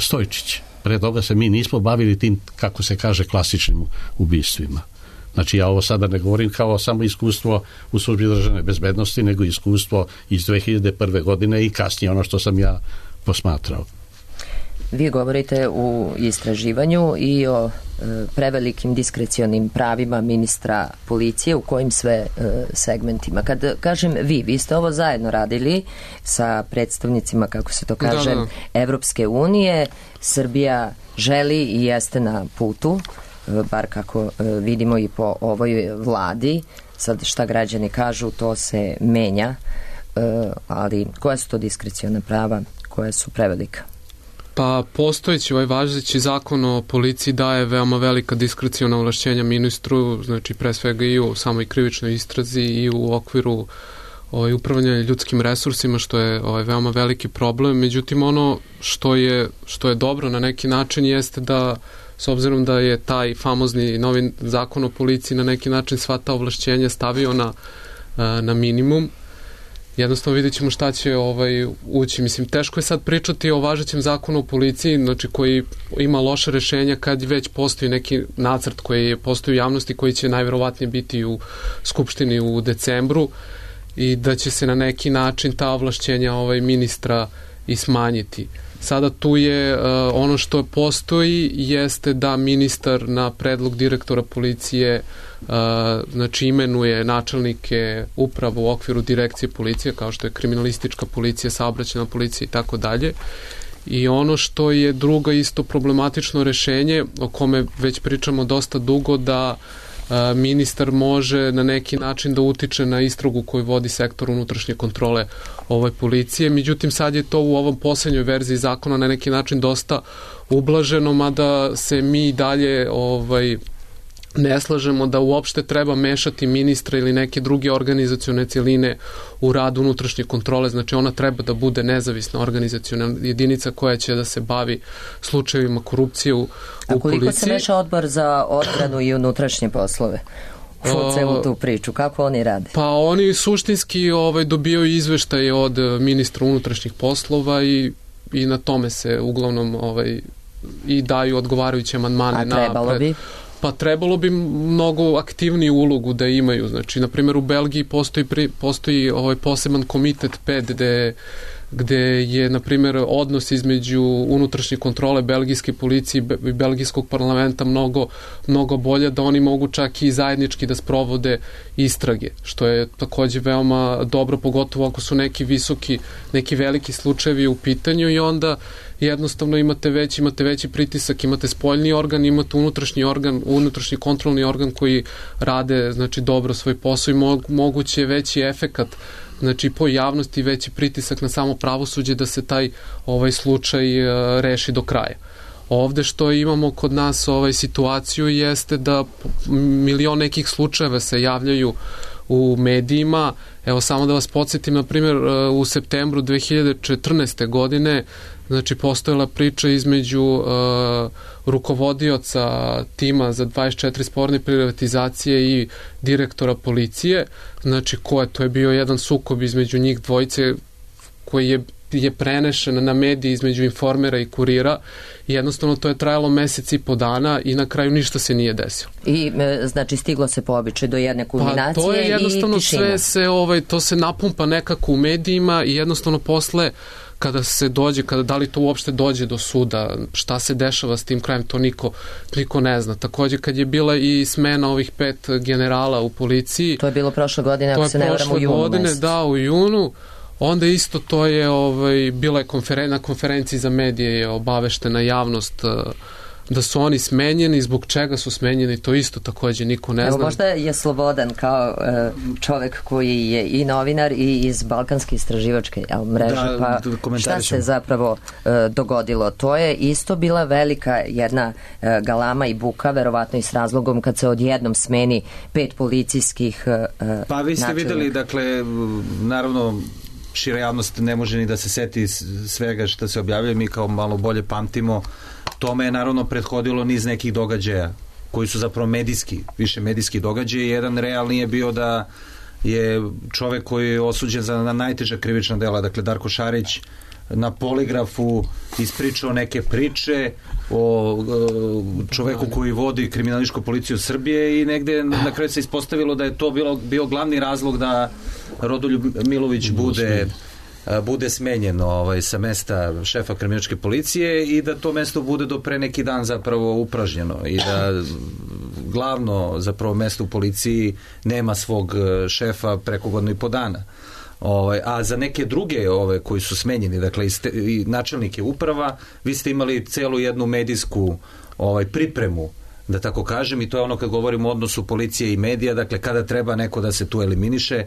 Stojčić. Pre toga se mi nismo bavili tim, kako se kaže, klasičnim ubistvima. Znači, ja ovo sada ne govorim kao samo iskustvo u službi državne bezbednosti, nego iskustvo iz 2001. godine i kasnije ono što sam ja posmatrao.
Vi govorite u istraživanju i o prevelikim diskrecionim pravima ministra policije, u kojim sve segmentima. Kad kažem vi ste ovo zajedno radili sa predstavnicima, kako se to kaže, Evropske unije. Srbija želi i jeste na putu, bar kako vidimo i po ovoj vladi. Sad šta građani kažu, to se menja, ali koja su to diskreciona prava, koja su prevelika?
Pa postojeći važeći zakon o policiji daje veoma velika diskreciona ovlašćenja ministru, znači pre svega i u samoj krivičnoj istrazi i u okviru upravljanja ljudskim resursima, što je veoma veliki problem. Međutim, ono što je dobro na neki način jeste da, s obzirom da je taj famozni novi zakon o policiji na neki način sva ta ovlašćenja stavio na minimum, jednostavno vidjet ćemo šta će ući. Mislim, teško je sad pričati o važećem zakonu o policiji, znači koji ima loše rešenja kad već postoji neki nacrt koji postoji u javnosti, koji će najverovatnije biti u Skupštini u decembru, i da će se na neki način ta ovlašćenja ministra i smanjiti. Sada tu je ono što postoji jeste da ministar na predlog direktora policije znači imenuje načelnike upravo u okviru direkcije policije, kao što je kriminalistička policija, saobraćajna policija i tako dalje. I ono što je drugo isto problematično rešenje, o kome već pričamo dosta dugo, da ministar može na neki način da utiče na istragu koju vodi sektor unutrašnje kontrole policije. Međutim, sad je to u ovom poslednjoj verziji zakona na neki način dosta ublaženo, mada se mi dalje ne slažemo da uopšte treba mešati ministra ili neke druge organizacione celine u rad unutrašnje kontrole. Znači, ona treba da bude nezavisna organizaciona jedinica koja će da se bavi slučajevima korupcije u policiji. A koliko se meša odbor za odbranu i unutrašnje poslove u celu tu priču? Kako oni rade? Pa oni suštinski dobijaju izveštaje od ministra unutrašnjih poslova i na tome se uglavnom i daju odgovarajuće amandmane. A trebalo bi? Pa trebalo bi mnogo aktivniju ulogu da imaju. Znači, na primjer, u Belgiji postoji poseban komitet 5 gde je, na primjer, odnos između unutrašnje kontrole belgijske policije i belgijskog parlamenta mnogo bolje, da oni mogu čak i zajednički da sprovode istrage, što je takođe veoma dobro, pogotovo ako su neki veliki slučajevi u pitanju, i onda jednostavno imate veći pritisak, imate spoljni organ, imate unutrašnji kontrolni organ koji rade, znači, dobro svoj posao i moguće veći efekat, znači, po javnosti, veći pritisak na samo pravosuđe da se taj slučaj reši do kraja. Ovde što imamo kod nas situaciju jeste da milion nekih slučajeva se javljaju u medijima. Evo, samo da vas podsjetim, na primjer, u septembru 2014. godine, znači, postojala priča između rukovodioca tima za 24 sporne privatizacije i direktora policije. Znači, to je bio jedan sukob između njih dvojice koji je prenešen na mediji između Informera i Kurira. Jednostavno, to je trajalo mesec i po dana i na kraju ništa se nije desilo. I, znači, stiglo se po običaju do jedne kulminacije i tišina. Pa to je jednostavno to se napumpa nekako u medijima i jednostavno posle kada se dođe, da li to uopšte dođe do suda, šta se dešava s tim krajem, to niko ne zna. Takođe, kad je bila i smena ovih 5 generala u policiji. To je bilo prošle godine, ako se ne varam, u junu mesecu. Da, u junu. Onda isto to je, bila je na konferenciji za medije je obaveštena javnost da su oni smenjeni, zbog čega su smenjeni, to isto takođe niko ne zna. Evo, možda je Slobodan kao čovek koji je i novinar i iz Balkanske istraživačke mreže, pa šta se zapravo dogodilo? To je isto bila velika jedna galama i buka, verovatno i s razlogom kad se odjednom smeni 5 policijskih načelnika.
Pa vi ste videli, dakle, naravno, šira javnost ne može ni da se seti svega što se objavljuje, mi kao malo bolje pamtimo. Tome je naravno prethodilo niz nekih događaja koji su zapravo više medijski događaji. Jedan realni je bio da je čovek koji je osuđen za najteža krivična dela, dakle Darko Šarić, na poligrafu ispričao neke priče o čoveku koji vodi kriminalističku policiju Srbije i negde na kraju se ispostavilo da je to bio glavni razlog da Rodoljub Milović bude bude smenjen sa mesta šefa kriminalističke policije i da to mesto bude do pre neki dan zapravo upražnjeno i da glavno zapravo mesto u policiji nema svog šefa preko godinu i po dana. A za neke druge koji su smenjeni, dakle i načelnike uprava, vi ste imali celu jednu medijsku pripremu, da tako kažem, i to je ono kad govorimo o odnosu policije i medija, dakle kada treba neko da se tu eliminiše,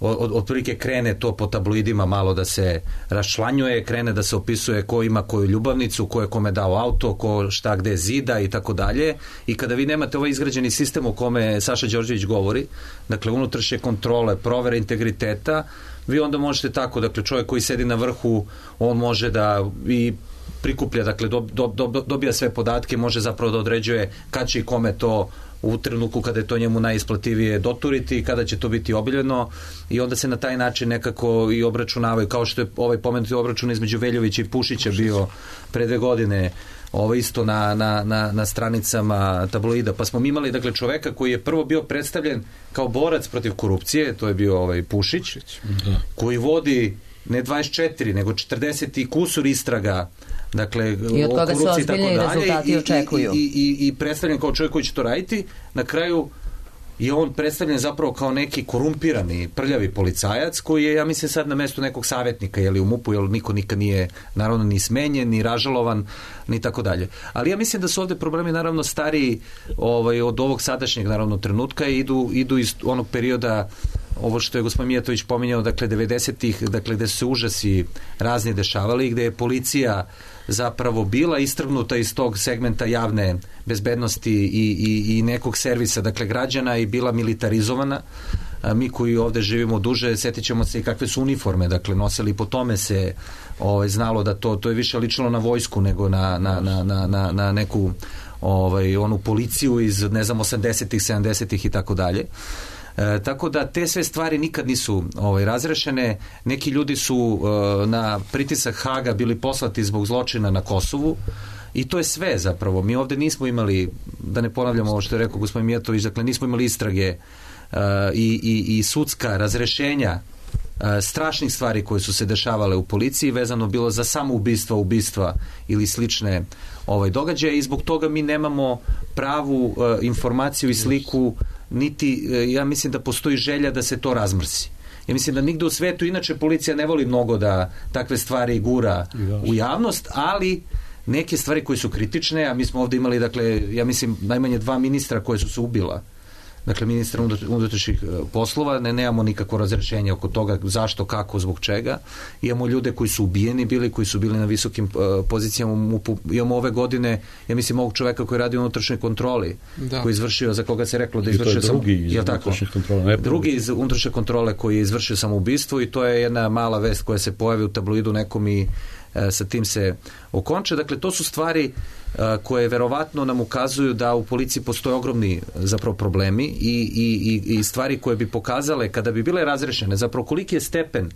otprilike krene to po tabloidima malo da se raščlanjuje, krene da se opisuje ko ima koju ljubavnicu, ko je kome dao auto, ko šta gde zida i tako dalje. I kada vi nemate ovaj izgrađeni sistem o kome Saša Đorđević govori, dakle unutrašnje kontrole, provere integriteta, vi onda možete tako, dakle čovjek koji sedi na vrhu, on može da i prikuplja, dakle dobija sve podatke, može zapravo da određuje kad će i kome to u trenutku kada je to njemu najisplativije doturiti, kada će to biti obiljeno, i onda se na taj način nekako i obračunavaju, kao što je ovaj pomenuti obračun između Veljovića i Pušića bio pre 2 godine, isto na stranicama tabloida. Pa smo imali, dakle, čoveka koji je prvo bio predstavljen kao borac protiv korupcije, to je bio Pušić, koji vodi ne 24, nego 40 i kusur istraga, dakle,
i od toga se ozbiljni rezultati očekuju.
I predstavljen kao čovjek koji će to raditi. Na kraju je on predstavljen zapravo kao neki korumpirani, prljavi policajac koji je, ja mislim, sad na mestu nekog savjetnika u MUP-u, jer niko nikad nije naravno ni smenjen, ni ražalovan, ni tako dalje. Ali ja mislim da su ovdje problemi naravno stariji od ovog sadašnjeg naravno trenutka i idu iz onog perioda, ovo što je gospodin Mijatović pominjao, dakle 90-ih, dakle gde su se užasi razni dešavali i gde je policija zapravo bila istrgnuta iz tog segmenta javne bezbednosti i nekog servisa, dakle građana, i bila militarizovana. Mi koji ovdje živimo duže, sjetit ćemo se i kakve su uniforme, dakle nosili, po tome se znalo da to je više ličilo na vojsku nego na neku onu policiju iz, ne znam, 80-ih, 70-ih i tako dalje. Tako da te sve stvari nikad nisu razrešene. Neki ljudi su na pritisak Haga bili poslati zbog zločina na Kosovu i to je sve zapravo. Mi ovdje nismo imali, da ne ponavljamo ovo što je rekao gospodin Mijatović, dakle nismo imali istrage i sudska razrešenja strašnih stvari koje su se dešavale u policiji, vezano bilo za samoubistva, ubistva ili slične događaje, i zbog toga mi nemamo pravu informaciju i sliku, niti ja mislim da postoji želja da se to razmrsi. Ja mislim da nigde u svetu, inače policija ne voli mnogo da takve stvari gura u javnost, ali neke stvari koje su kritične, a mi smo ovdje imali, dakle, ja mislim najmanje 2 ministra koje su se ubila, dakle ministra unutrašnjih poslova, nemamo nikakvo razrešenje oko toga zašto, kako, zbog čega. Imamo ljude koji su ubijeni bili, koji su bili na visokim pozicijama u MUP-u. Imamo ove godine, ja mislim, ovog čoveka koji radi u unutrašnjoj kontroli, koji je izvršio, za koga se reklo da je izvršio drugi iz unutrašnje kontrole koji je izvršio samoubistvo, i to je jedna mala vest koja se pojavi u tabloidu nekom i sa tim se okonče. Dakle, to su stvari koje verovatno nam ukazuju da u policiji postoje ogromni zapravo problemi i stvari koje bi pokazale, kada bi bile razrešene, zapravo koliki je stepen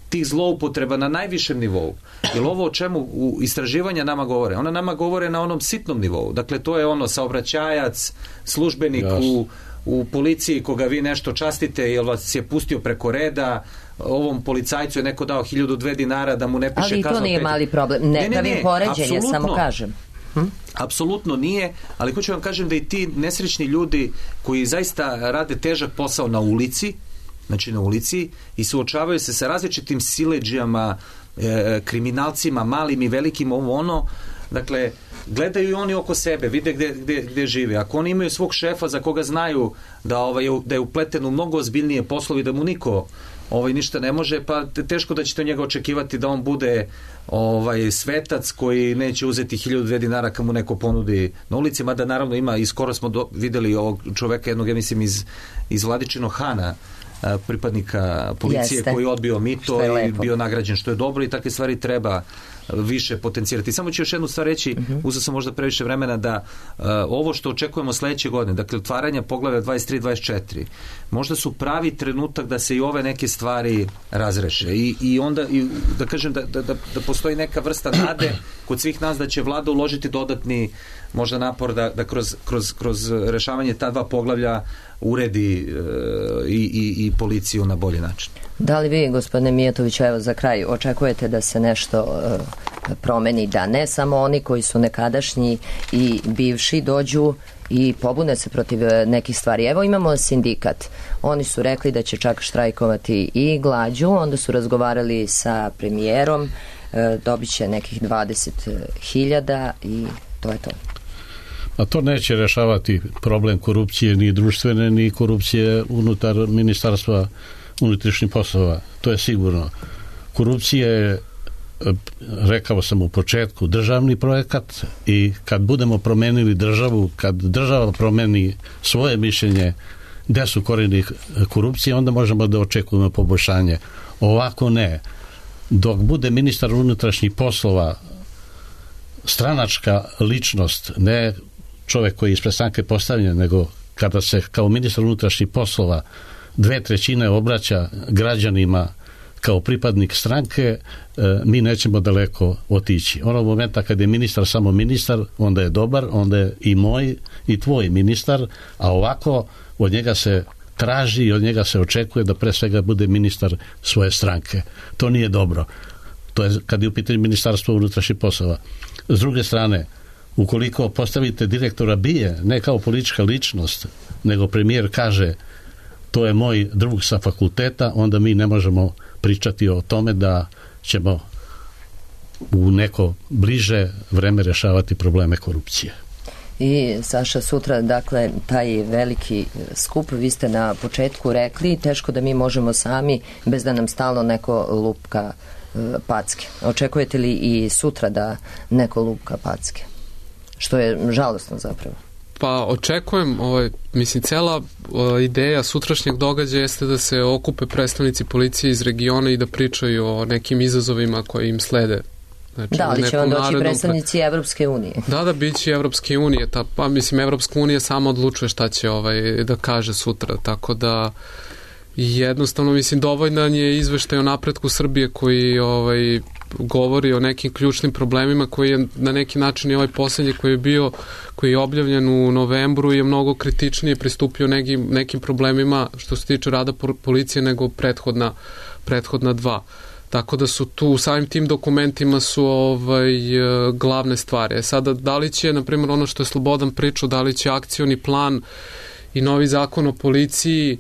tih zloupotreba na najvišem nivou. Jer ovo o čemu istraživanja nama govore, ona nama govore na onom sitnom nivou. Dakle, to je saobraćajac, službenik u policiji koga vi nešto častite jer vas je pustio preko reda, ovom policajcu je neko dao 1.002 dinara da mu ne piše kaznu.
Ali to nije mali problem. Ne pravim poređenje, samo kažem.
Apsolutno nije, ali hoću vam kažem da i ti nesrećni ljudi koji zaista rade težak posao na ulici, znači na ulici, i suočavaju se sa različitim siledžijama, kriminalcima, malim i velikim, dakle, gledaju i oni oko sebe, vide gde žive. Ako oni imaju svog šefa za koga znaju da je upleten u mnogo ozbiljnije poslovi, da mu niko ništa ne može, pa teško da ćete njega očekivati da on bude svetac koji neće uzeti 1.002 dinara kad mu neko ponudi na ulici, mada naravno ima, i skoro smo videli ovog čoveka, jednog, ja mislim, iz Vladičinog Hana, pripadnika policije, koji je odbio mito i bio nagrađen, što je dobro, i takve stvari treba više potencijirati. Samo ću još jednu stvar reći, uzeo sam možda previše vremena, da ovo što očekujemo sledeće godine, dakle otvaranja poglavlja 23-24, možda su pravi trenutak da se i ove neke stvari razreše i onda da kažem da postoji neka vrsta nade kod svih nas da će vlada uložiti dodatni možda napor da kroz rešavanje ta dva poglavlja uredi i policiju na bolji način.
Da li vi, gospodine Mijatović, evo za kraj, očekujete da se nešto promeni, da ne samo oni koji su nekadašnji i bivši dođu i pobune se protiv nekih stvari? Evo imamo sindikat. Oni su rekli da će čak štrajkovati i glađu, onda su razgovarali sa premijerom, dobit će nekih 20.000 i to je to.
A to neće rešavati problem korupcije, ni društvene, ni korupcije unutar Ministarstva unutrašnjih poslova. To je sigurno. Korupcija je, rekao sam u početku, državni projekat i kad budemo promenili državu, kad država promeni svoje mišljenje gde su korijeni korupcije, onda možemo da očekujemo poboljšanje. Ovako ne. Dok bude ministar unutrašnjih poslova stranačka ličnost, ne čovek koji je ispred stranke postavljen, nego kada se kao ministar unutrašnjih poslova 2/3 obraća građanima kao pripadnik stranke, mi nećemo daleko otići. Onog momenta kad je ministar samo ministar, onda je dobar, onda je i moj i tvoj ministar, a ovako od njega se traži i od njega se očekuje da pre svega bude ministar svoje stranke. To nije dobro. To je kad je u pitanju Ministarstvo unutrašnjih poslova. S druge strane, ukoliko postavite direktora BIA, ne kao politička ličnost, nego premijer kaže to je moj drug sa fakulteta, onda mi ne možemo pričati o tome da ćemo u neko bliže vreme rešavati probleme korupcije.
I Saša, sutra, dakle, taj veliki skup, vi ste na početku rekli, teško da mi možemo sami bez da nam stalno neko lupka packe. Očekujete li i sutra da neko lupka packe? Što je žalosno zapravo.
Pa očekujem, mislim, cela ideja sutrašnjeg događaja jeste da se okupe predstavnici policije iz regiona i da pričaju o nekim izazovima koji im slede. Znači,
da, ali će vam doći predstavnici Evropske unije.
Da, biće Evropske unije. Pa mislim, Evropska unija sama odlučuje šta će da kaže sutra, tako da jednostavno, mislim, dovoljan je izveštaj o napretku Srbije koji govori o nekim ključnim problemima, koji je na neki način i ovaj poslednji koji je objavljen u novembru je mnogo kritičnije pristupio nekim problemima što se tiče rada policije nego prethodna dva. Tako da su tu u samim tim dokumentima su glavne stvari. Sada, da li će, na primjer, ono što je Slobodan pričao, da li će akcioni plan i novi zakon o policiji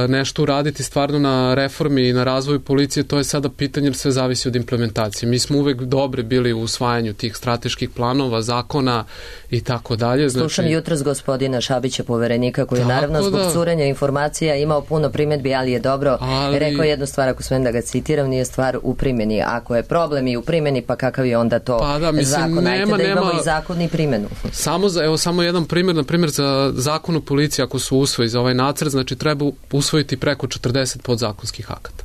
nešto uraditi stvarno na reformi i na razvoju policije, to je sada pitanje jer sve zavisi od implementacije. Mi smo uvek dobri bili u usvajanju tih strateških planova, zakona i tako dalje.
Slušam jutros gospodina Šabića, poverenika, koji je naravno zbog curenja informacija imao puno primedbi, ali je dobro rekao jednu stvar, ako smem da ga citiram, nije stvar u primjeni. Ako je problem i u primjeni, pa kakav je onda to zakon? Ajte da imamo i zakon i primjenu.
Samo jedan primjer, na primjer za zakon o policiji, ako su usvoji za ovaj nacrt, znači treba usvojiti preko 40 podzakonskih akata.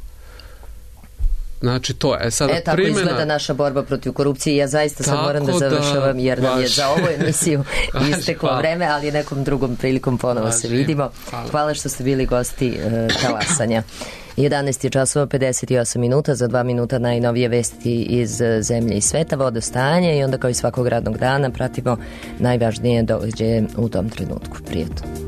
Znači to je sada primjena.
Tako izgleda naša borba protiv korupcije. Ja zaista sad moram da završavam jer nam je za ovu emisiju isteklo vreme, ali nekom drugom prilikom ponovo se vidimo. Hvala što ste bili gosti Talasanja. 11 časova 58 minuta, za 2 minuta najnovije vesti iz zemlje i sveta, vodostajanje i onda kao i svakog radnog dana pratimo najvažnije događaje u tom trenutku. Prijatno.